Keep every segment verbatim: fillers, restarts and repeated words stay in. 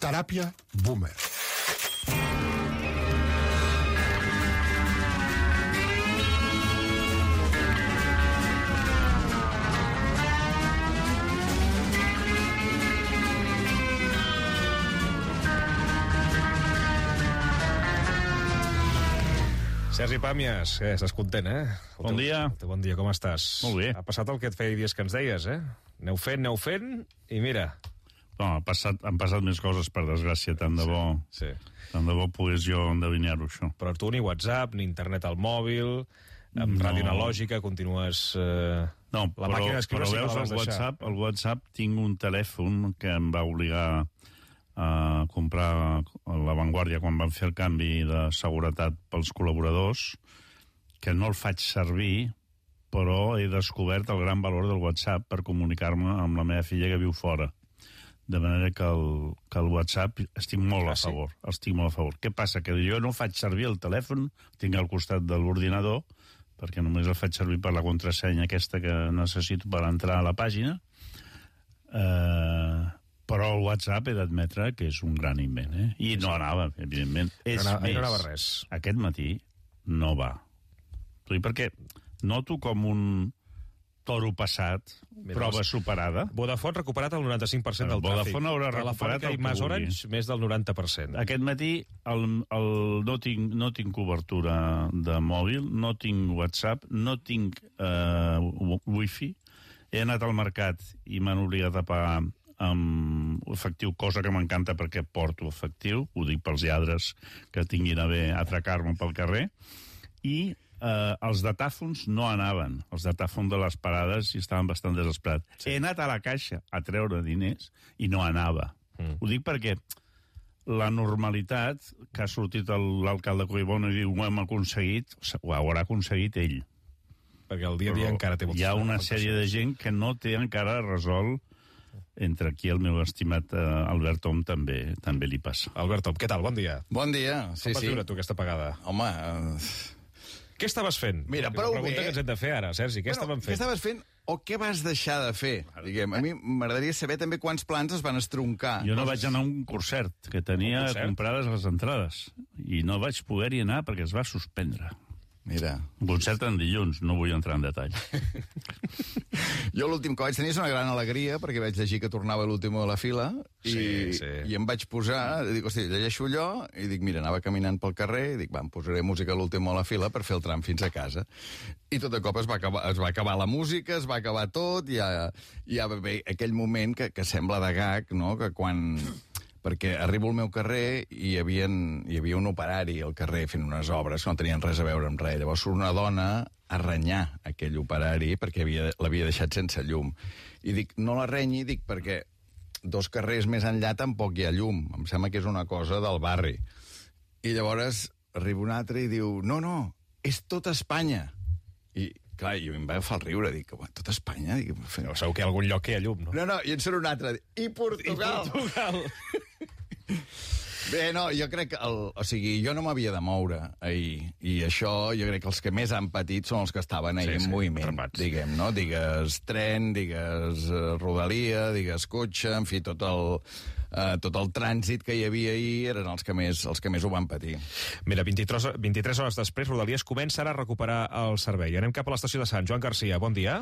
Teràpia Boomer. Sergi Pàmies, eh, estàs content, eh? El Bon teu, dia. El teu bon dia, com estàs? Molt bé. Ha passat el que et feia dies que ens deies, eh? Aneu fent, aneu fent, i mira... No, ha passat, han passat més coses, per desgràcia, tant de bo, Sí. tant de bo pogués jo endevinar-ho, això. Però tu ni WhatsApp, ni internet al mòbil, amb No. ràdio analògica, continues... Eh... No, la però, màquina d'escriure però sí que la veus, vas el deixar. WhatsApp, el WhatsApp tinc un telèfon que em va obligar a comprar a La Vanguardia quan van fer el canvi de seguretat pels col·laboradors, que no el faig servir, però he descobert el gran valor del WhatsApp per comunicar-me amb la meva filla que viu fora. De manera que el, que el WhatsApp estic molt Ah, a sí? favor. Estic molt a favor. Què passa? Que jo no faig servir el telèfon, tinc al costat de l'ordinador, perquè només el faig servir per la contrasenya aquesta que necessito per entrar a la pàgina, eh, però el WhatsApp he d'admetre que és un gran invent, eh? I no anava, evidentment. És No anava- més, no anava res. aquest matí no va. T'ho dic perquè noto com un toro passat, Mira, prova doncs, superada. Vodafone recuperat el noranta-cinc per cent del tràfic. Vodafone haurà recuperat Telefònica el i que Mas vulgui. Orange, més del noranta per cent. Aquest matí el, el, no, tinc, no tinc cobertura de mòbil, no tinc WhatsApp, no tinc eh, wifi. He anat al mercat i m'han obligat a pagar amb efectiu, cosa que m'encanta perquè porto efectiu, ho dic pels lladres que tinguin a bé atracar-me pel carrer, i eh, els datàfons no anaven, els datàfons de les parades i estaven bastant desesperats. Sí. He anat a la caixa a treure diners i no anava. Mm. Ho dic perquè la normalitat que ha sortit el- l'alcalde Collboni i diu ho hem aconseguit, ho haurà aconseguit ell. Perquè el dia a dia Però encara té moltes hi ha una afectacions. sèrie de gent que no té encara resolt, entre aquí el meu estimat eh, Albert Tom també també li passa. Albert Tom, què tal? Bon dia. Bon dia, sí, Com vas sí. viure tu aquesta pagada? Home, eh, Què estaves fent? Mira, La prou pregunta bé. que ens hem de fer ara, Sergi, què bueno, estàvem què fent? estaves fent o què vas deixar de fer? Diguem, a mi m'agradaria saber també quants plans es van estroncar. Jo no vaig anar a un concert, que tenia Un concert? comprades les entrades, i no vaig poder-hi anar perquè es va suspendre. Mira, Un concert en dilluns, no vull entrar en detall. jo l'últim que vaig tenir és una gran alegria perquè vaig llegir que tornava l'últim de la fila i, Sí, sí. i em vaig posar, dic, hosti, llegeixo allò i dic, mira, anava caminant pel carrer i dic, va, em posaré música a l'últim de la fila per fer el tram fins a casa. I tot de cop es va acabar, es va acabar la música, es va acabar tot, i ja, ja va haver aquell moment que, que sembla de gag, no?, que quan... perquè arribo al meu carrer i hi havia, hi havia un operari al carrer fent unes obres que no tenien res a veure amb res. Llavors surt una dona a renyar aquell operari perquè havia, l'havia deixat sense llum. I dic, no la renyi, dic, perquè dos carrers més enllà tampoc hi ha llum. Em sembla que és una cosa del barri. I llavors arriba un altre i diu, no, no, és tot Espanya. I, clar, jo em va agafar el riure, dic, tot Espanya? Dic, No, segur que hi ha algun lloc que hi ha llum, no? no, no, i en surt un altre, i Portugal! I Portugal! Bé, no, jo crec que... El, o sigui, jo no m'havia de moure ahir, i això jo crec que els que més han patit són els que estaven ahir Sí, en sí, moviment, atrapats. diguem, no? Digues tren, digues eh, rodalia, digues cotxe, en fi, tot el, eh, tot el trànsit que hi havia ahir eren els que més, els que més ho van patir. Mira, vint-i-tres, vint-i-tres hores després, Rodalies comença a recuperar el servei. Anem cap a l'estació de Sant Joan Garcia. Bon dia.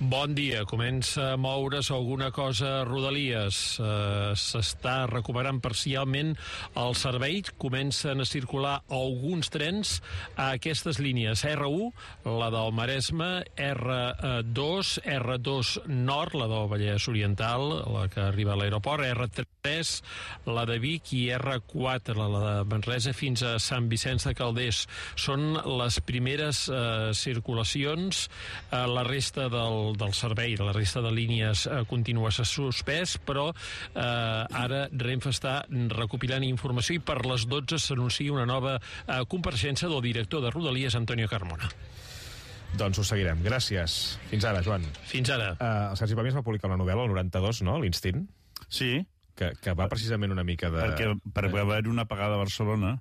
Bon dia. Comença a moure's alguna cosa a Rodalies. Uh, S'està recuperant parcialment el servei. Comencen a circular alguns trens a aquestes línies. erre u, la del Maresme, erre dos, erre dos Nord, la del Vallès Oriental, la que arriba a l'aeroport, erre tres, la de Vic, i erre quatre, la de Manresa, fins a Sant Vicenç de Calders. Són les primeres eh, circulacions. Eh, la resta del, del servei, la resta de línies eh, continua suspès, però eh, ara Renfe està recopilant informació i per les dotze s'anuncia una nova eh, compareixença del director de Rodalies, Antonio Carmona. Doncs ho seguirem. Gràcies. Fins ara, Joan. Fins ara. Uh, el Sergi Pàmies va publicar una novel·la, el noranta-dos, no?, l'Instint, Sí, que, que va precisament una mica de... perquè, perquè va haver una apagada a Barcelona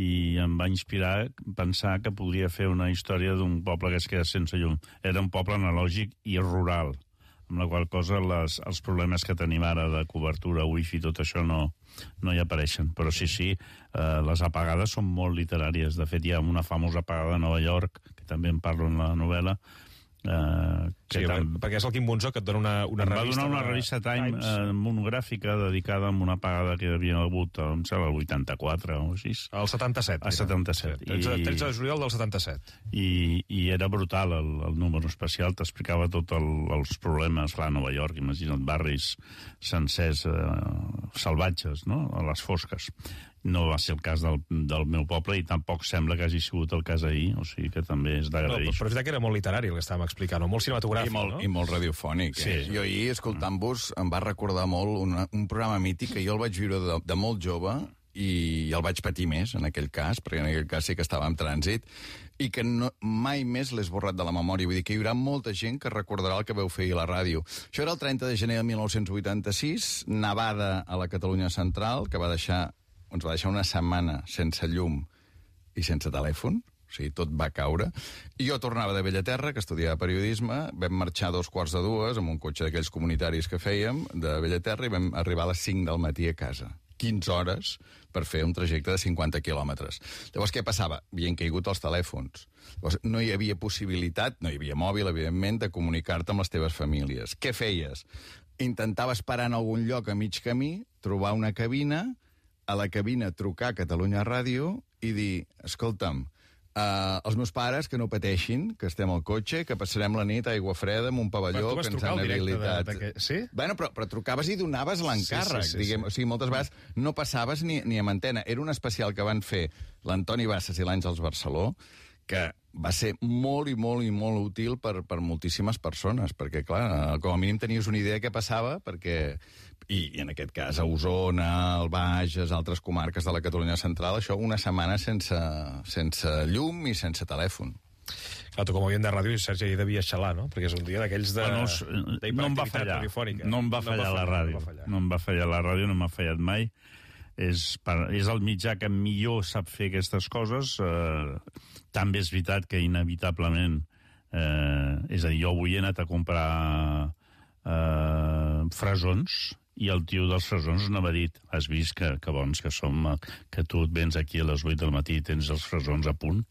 i em va inspirar a pensar que podria fer una història d'un poble que es queda sense llum. Era un poble analògic i rural, amb la qual cosa les, els problemes que tenim ara de cobertura, wifi, tot això no, no hi apareixen. Però sí, sí, eh, les apagades són molt literàries. De fet, hi ha una famosa apagada a Nova York, que també en parlo en la novel·la, Uh, sí, tam... perquè és el Quim Bonzó que et dona una, una em revista. va donar una revista Time, Times. Uh, monogràfica dedicada a una apagada que hi havia hagut em sembla, el vuitanta-quatre o així. El setanta-set. El setanta-set. tretze, tretze de juliol del setanta-set. I, i era brutal el, el número especial, t'explicava tots el, els problemes. Clar, a Nova York, imagina't, barris sencers uh, salvatges, no?, a les fosques. No va ser el cas del, del meu poble i tampoc sembla que hagi sigut el cas ahir, o sigui que també és d'agrair. No, però és veritat que era molt literari el que estàvem explicant, molt cinematogràfic, I molt, no? I molt radiofònic. Sí. Eh? Jo ahir, escoltant-vos, em va recordar molt una, un programa mític que jo el vaig viure de, de molt jove i el vaig patir més, en aquell cas, perquè en aquell cas sí que estava en trànsit, i que no, mai més l'he esborrat de la memòria. Vull dir que hi haurà molta gent que recordarà el que veu fer ahir a la ràdio. Això era el trenta de gener de mil nou-cents vuitanta-sis, nevada a la Catalunya central, que va deixar ens va deixar una setmana sense llum i sense telèfon, o sigui, tot va caure. I jo tornava de Bellaterra, que estudiava periodisme, vam marxar a dos quarts de dues amb un cotxe d'aquells comunitaris que fèiem, de Bellaterra, i vam arribar a les cinc del matí a casa. quinze hores per fer un trajecte de cinquanta quilòmetres. Llavors, què passava? Havien caigut els telèfons. Llavors, no hi havia possibilitat, no hi havia mòbil, evidentment, de comunicar-te amb les teves famílies. Què feies? Intentaves parar en algun lloc a mig camí, trobar una cabina, a la cabina trucar a Catalunya Ràdio i dir, escolta'm, uh, els meus pares que no pateixin, que estem al cotxe, que passarem la nit a aigua freda amb un pavelló que ens han habilitat. De, de, de, sí? Bueno, però, però trucaves i donaves l'encàrrec. Sí, sí, sí, diguem, sí. O sigui, moltes vegades no passaves ni, ni amb antena. Era un especial que van fer l'Antoni Bassas i l'Àngels Barceló, que va ser molt i molt i molt útil per, per moltíssimes persones, perquè, clar, com a mínim tenies una idea de què passava, perquè... I, i en aquest cas a Osona, el Bages, altres comarques de la Catalunya central, això una setmana sense, sense llum i sense telèfon. Clar, tu com a oient de ràdio, Sergi, ahir devia xalar, no? Perquè és un dia d'aquells de... Bueno, no em va fallar, no em va fallar la ràdio, no em va fallar la ràdio, no m'ha fallat mai. És, per, és el mitjà que millor sap fer aquestes coses. Eh, també és veritat que inevitablement, eh, és a dir, jo avui he anat a comprar eh, fresons, i el tio dels fresons no m'ha dit, has vist que, que bons que som, que tu et vens aquí a les vuit del matí i tens els fresons a punt.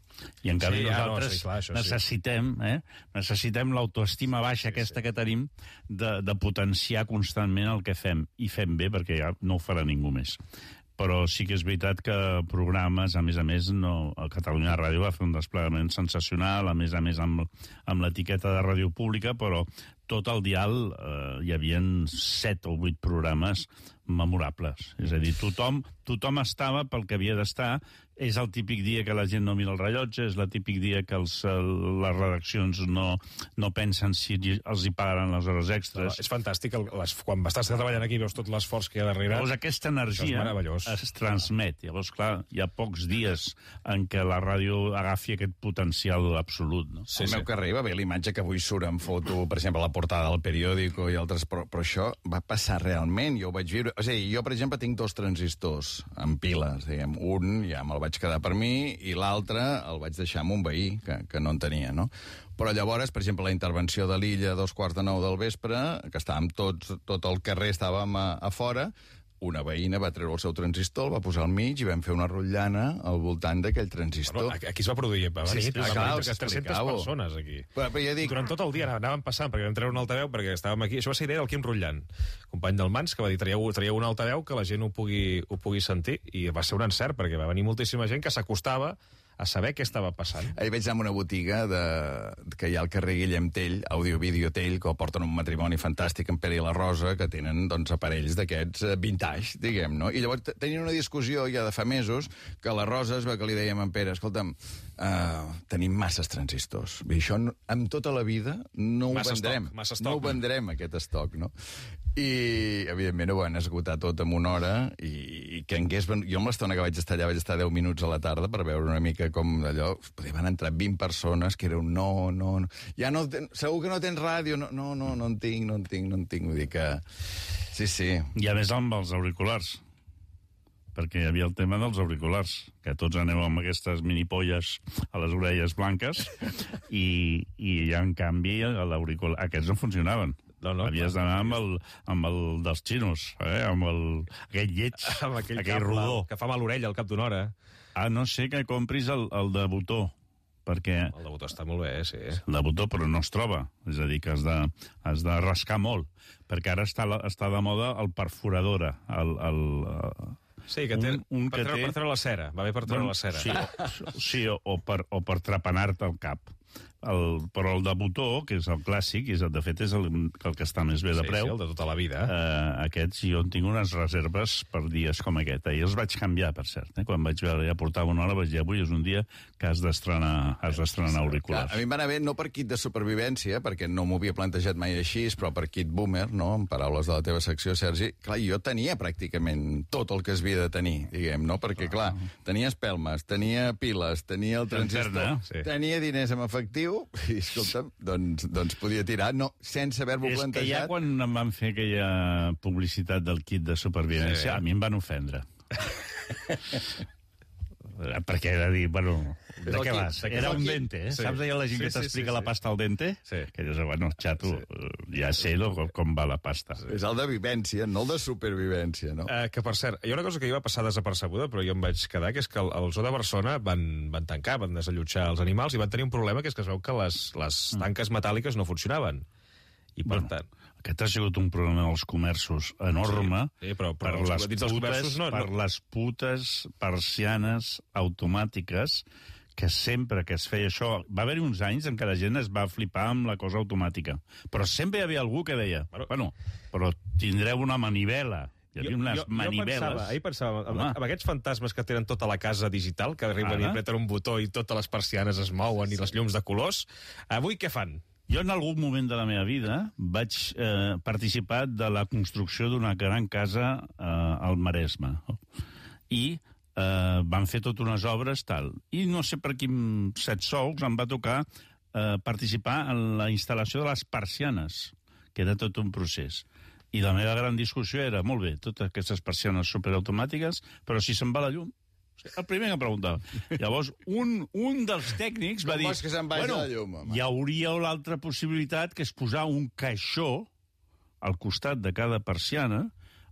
I en canvi sí, nosaltres no, sí, clar, això, necessitem, eh, necessitem l'autoestima baixa sí, aquesta sí. que tenim de, de potenciar constantment el que fem. I fem bé, perquè ja no ho farà ningú més. Però sí que és veritat que programes, a més a més, no, el Catalunya Ràdio va fer un desplegament sensacional, a més a més amb, amb l'etiqueta de ràdio pública, però tot el dial eh, hi havia set o vuit programes memorables. És a dir, tothom, tothom estava pel que havia d'estar. És el típic dia que la gent no mira el rellotge, és el típic dia que els, les redaccions no, no pensen si els hi pagaran les hores extres. No, és fantàstic. El, les, quan estàs treballant aquí veus tot l'esforç que hi ha darrere. Llavors aquesta energia es transmet. Llavors, clar, hi ha pocs dies en què la ràdio agafi aquest potencial absolut. No? Sí, el sí. meu carrer va bé l'imatge que avui surt en foto, per exemple, a la portada del periòdico i altres, però, però això va passar realment, jo ho vaig viure. O sigui, jo, per exemple, tinc dos transistors en piles, diguem, un ja me'l vaig quedar per mi i l'altre el vaig deixar amb un veí que, que no en tenia, no? Però llavors, per exemple, la intervenció de l'Illa a dos quarts de nou del vespre, que estàvem tots, tot el carrer estàvem a, a fora, una veïna va treure el seu transistor, el va posar al mig i vam fer una rotllana al voltant d'aquell transistor. Bueno, aquí es va produir, va venir sí, sí, clar, tres-centes persones aquí. Però, però ja dic... Durant tot el dia anàvem passant, perquè vam treure un altaveu, perquè estàvem aquí. Això va ser idea del Quim Rotllant, company del Mans, que va dir, traieu, traieu un altaveu que la gent ho pugui, ho pugui sentir, i va ser un encert, perquè va venir moltíssima gent que s'acostava a saber què estava passant. Ahir vaig anar a una botiga de, que hi ha al carrer Guillem Tell, Audio-Vídeo Tell, que porten un matrimoni fantàstic en Pere i la Rosa, que tenen doncs, aparells d'aquests vintage, diguem, no? I llavors tenien una discussió ja de fa mesos que la Rosa es va que li dèiem a en Pere, escolta'm, uh, tenim masses transistors. I això no, amb tota la vida no ho massa vendrem. Stock, massa stock, no ho vendrem, aquest estoc, no? I, evidentment, ho van esgotar tot en una hora i, i que hagués... Jo amb l'estona que vaig estar allà vaig estar deu minuts a la tarda per veure una mica com d'allò... Van entrar vint persones que era un no, no, no... Ja no... Segur que no tens ràdio? No, no, no, no en tinc, no en tinc, no en tinc. Vull dir que... Sí, sí. I a més amb els auriculars, perquè hi havia el tema dels auriculars, que tots aneu amb aquestes minipolles a les orelles blanques, i, i en canvi l'auricular... Aquests no funcionaven. No, no, Havies d'anar amb el, amb el dels xinos, eh? Amb el, aquell lleig, Amb aquell, aquell cable rodó. que fa mal l'orella al cap d'una hora. A no ser que compris el, el de botó, perquè El de botó està molt bé, sí. el de botó però no es troba, és a dir, que has de, has de rascar molt, perquè ara està, la, està de moda el perforadora, el... el Sí, que té, Un- un per, que treure, té- per treure la cera. Va bé per treure la cera. Sí, o, sí o, o, per, o per trepanar-te el cap. El, però el de botó, que és el clàssic, és, de fet és el, el que està més bé de Sí, preu, sí, el de tota la vida. eh, aquests jo en tinc unes reserves per dies com aquest. Ahir els vaig canviar, per cert. Eh? Quan vaig veure, ja portava una hora, vaig dir, avui és un dia que has d'estrenar has d'estrenar auriculars. Clar, a mi em va anar bé no per kit de supervivència, perquè no m'ho havia plantejat mai així, però per kit boomer, no? En paraules de la teva secció, Sergi. Clar, jo tenia pràcticament tot el que es havia de tenir, diguem, no? Perquè, clar, tenia espelmes, tenia piles, tenia el transistor, Lanterna, sí. tenia diners en efectiu, i, escolta'm, doncs, doncs podia tirar, no, sense haver-m'ho És que ja plantejat. quan em van fer aquella publicitat del kit de supervivència, Sí. a mi em van ofendre. Perquè era dir, bueno, de Però què aquí- vas? de què Era és el un kit? dente, eh? Sí. Saps allò la gent Sí, que sí, t'explica sí, la sí. pasta al dente? Sí. Que dius, bueno, xato, eh, ja sé lo, com va la pasta. És el de vivència, no el de supervivència, no? Eh, que, per cert, hi ha una cosa que hi va passar desapercebuda, però jo em vaig quedar, que és que el, el zoo de Barcelona van, van tancar, van desallotjar els animals i van tenir un problema, que és que es veu que les, les tanques metàl·liques no funcionaven. I, per Bueno, tant... Aquest ha sigut un problema dels comerços enorme Sí, sí, però- però per, els- les dins dels putes, comerços no- per no- les putes persianes automàtiques que sempre que es feia això... Va haver-hi uns anys en què la gent es va flipar amb la cosa automàtica. Però sempre hi havia algú que deia, Bueno, bueno, però tindreu una manivela. Hi havia unes jo, maniveles. Jo pensava, ahir pensava, amb, Home. amb aquests fantasmes que tenen tota la casa digital, que arriben Ara? i apreten un botó i totes les persianes es mouen sí. i les llums de colors, avui què fan? Jo en algun moment de la meva vida vaig eh, participar de la construcció d'una gran casa eh, al Maresme. I eh, van fer totes unes obres, tal. I no sé per quin set sous em va tocar eh, participar en la instal·lació de les persianes, que era tot un procés. I la meva gran discussió era, molt bé, totes aquestes persianes superautomàtiques, però si se'n va la llum, el primer que em preguntava. Llavors, un, un dels tècnics va Com dir... vols que se'n vagi bueno, la llum, home?" hi hauria l'altra possibilitat, que és posar un caixó al costat de cada persiana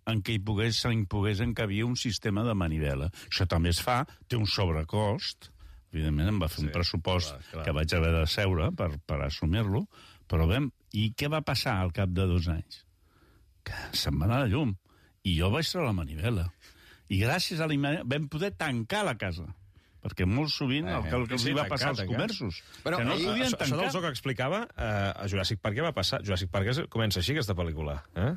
en què hi pogués, hi pogués encabir un sistema de manivela. Això també es fa, té un sobrecost, evidentment em va fer Sí, un pressupost clar, clar. que vaig haver de seure per, per assumir-lo, però vam... I què va passar al cap de dos anys? Que se'n va anar la llum. I jo vaig treure la manivela. I gràcies a la manivela vam poder tancar la casa. Perquè molt sovint el que, el que els sí, va tancar, passar als tancar. comerços, Però que no ahir- podien Això, això del tancar. zoo que explicava, eh, a Jurassic Park què va passar? Jurassic Park és, comença així, aquesta pel·lícula. Eh?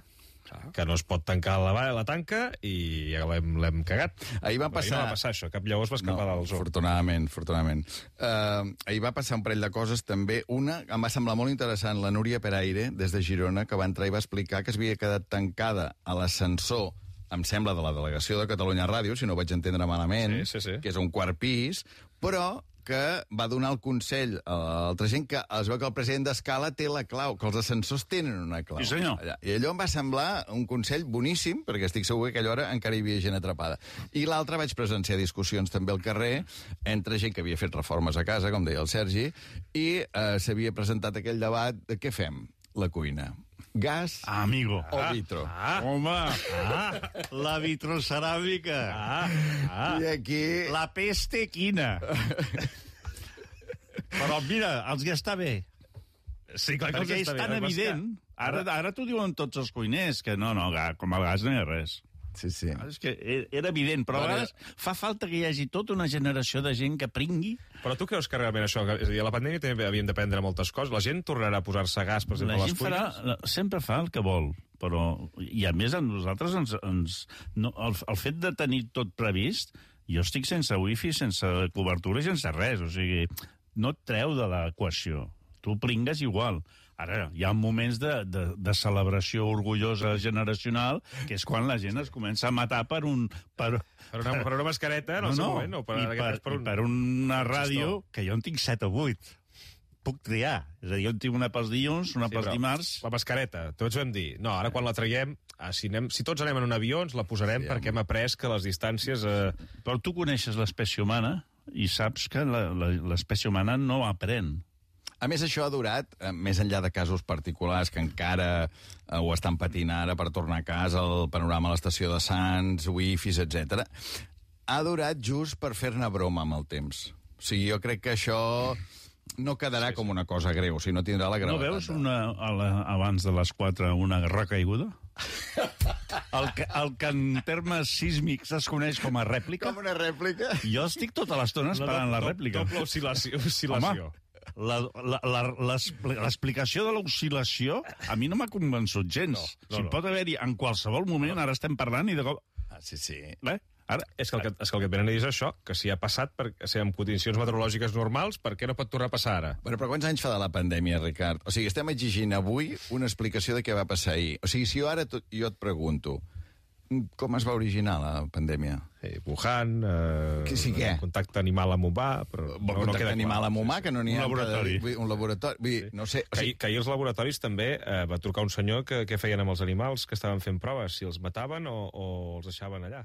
Que no es pot tancar la, la tanca i ja l'hem l'hem cagat. Ahir va Però passar... no va passar això, cap llavors va escapar No, del zoo. afortunadament, afortunadament. Uh, ahir va passar un parell de coses, també. Una, em va semblar molt interessant, la Núria Peraire, des de Girona, que va entrar i va explicar que es havia quedat tancada a l'ascensor, em sembla, de la delegació de Catalunya Ràdio, si no ho vaig entendre malament, Sí, sí, sí. que és un quart pis, però que va donar el consell a l'altra gent que es veu que el president d'Escala té la clau, que els ascensors tenen una clau. Sí, senyor. Allà. I allò em va semblar un consell boníssim, perquè estic segur que a aquella hora encara hi havia gent atrapada. I l'altre vaig presenciar discussions també al carrer entre gent que havia fet reformes a casa, com deia el Sergi, i eh, s'havia presentat aquell debat de què fem, la cuina. Gas Ah, amigo. o vitro. Ah, home, ah, la vitroceràmica. Ah, ah. I aquí... La peste quina. Però mira, els ja està bé. Sí, clar que Perquè els és està tan bé. El evident. Ara, ara t'ho diuen tots els cuiners, que no, no, ga- com el gas no hi ha res. Sí, sí. Ah, és que e- era evident, però a Bueno, vegades fa falta que hi hagi tota una generació de gent que pringui. Però tu creus que realment això... És a dir, a la pandèmia també havíem d'aprendre moltes coses. La gent tornarà a posar-se gas, per exemple, La a les gent farà, cuines? sempre fa el que vol, però... I a més, a nosaltres ens... ens no, el, el fet de tenir tot previst, jo estic sense wifi, sense cobertura i sense res, o sigui, no et treu de l'equació. Tu pringues igual. Ara, hi ha moments de, de, de celebració orgullosa generacional, que és quan la gent es comença a matar per un... Per, Per una, per una mascareta, en el seu moment, o per, I per, per, i un... per una ràdio, que jo en tinc set o vuit. Puc triar. És a dir, jo en tinc una pels dilluns, una Sí, pels però dimarts... La mascareta, tots vam dir, no, ara quan la traiem, ah, si, anem, si tots anem en un avió, ens la posarem sí, perquè hem après que les distàncies... Eh... Però tu coneixes l'espècie humana i saps que la- la- l'espècie humana no aprèn. A més, això ha durat, eh, més enllà de casos particulars que encara eh, ho estan patint ara per tornar a casa, el panorama a l'estació de Sants, wifis, etcètera, ha durat just per fer-ne broma amb el temps. O sigui, jo crec que això no quedarà sí, sí. com una cosa greu, o sigui, no tindrà la gravetat. No veus una, a la, abans de les quatre una recaiguda? El que, el que en termes sísmics es coneix com a rèplica. Com una rèplica? Jo estic tota l'estona esperant la, la rèplica. Doble oscil·lació. oscil·lació. Home, l'explicació de l'oscil·lació a mi no m'ha convençut gens. No, no, si no. Pot haver-hi en qualsevol moment, ara estem parlant i de cop... Ah, sí, sí. Bé, ara... És que, el que, és que el que et venen a dir és això, que si ha passat per, si amb condicions meteorològiques normals, per què no pot tornar a passar ara? Bueno, però quants anys fa de la pandèmia, Ricard? O sigui, estem exigint avui una explicació de què va passar ahir. O sigui, si jo ara tot, jo et pregunto, com es va originar la pandèmia? Eh, Wuhan, eh, que sí, què? contacte animal amb humà... Però no, no contacte animal clar. amb humà, que no n'hi ha... Un laboratori. Cada, un laboratori. Vull dir, sí. no sé... O sigui... que, que ahir els laboratoris també eh, va trucar un senyor que, que feien amb els animals que estaven fent proves, si els mataven o, o els deixaven allà.